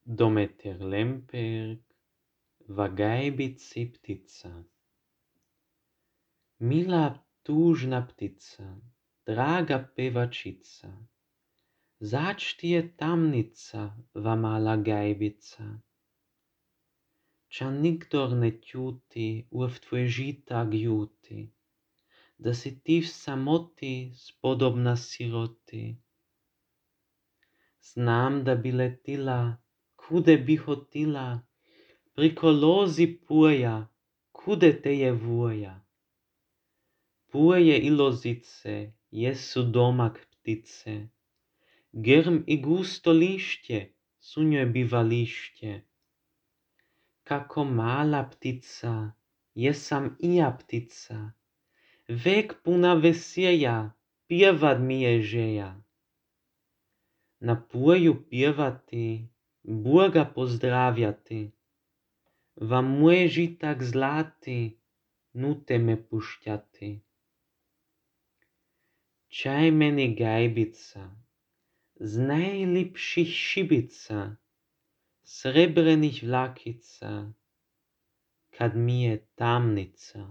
До метр лемперк, вагайбицы птица. Mila tužna ptica, draga pevačica, zač ti je tamnica, va mala gajbica. Ča nikdor ne tjuti v tvoje žita gjuti, da si ti v samoti spodobna siroti. Znam da bi letila, kude bi hotila, priko lozi puja, kude te je vuja. Puje i lozice jesu domak ptice, grm i gusto lišće su njoj bivališće. Kako mala ptica, jesam i ja ptica, vek puna veselja, pjevat mi je želja. Na puju pjevati, Boga pozdravljati, va moj žitak zlati, nute me pušťati. Čaj meni gajbica, z najlipších šibica, srebrených vlakica, kad mi je tamnica.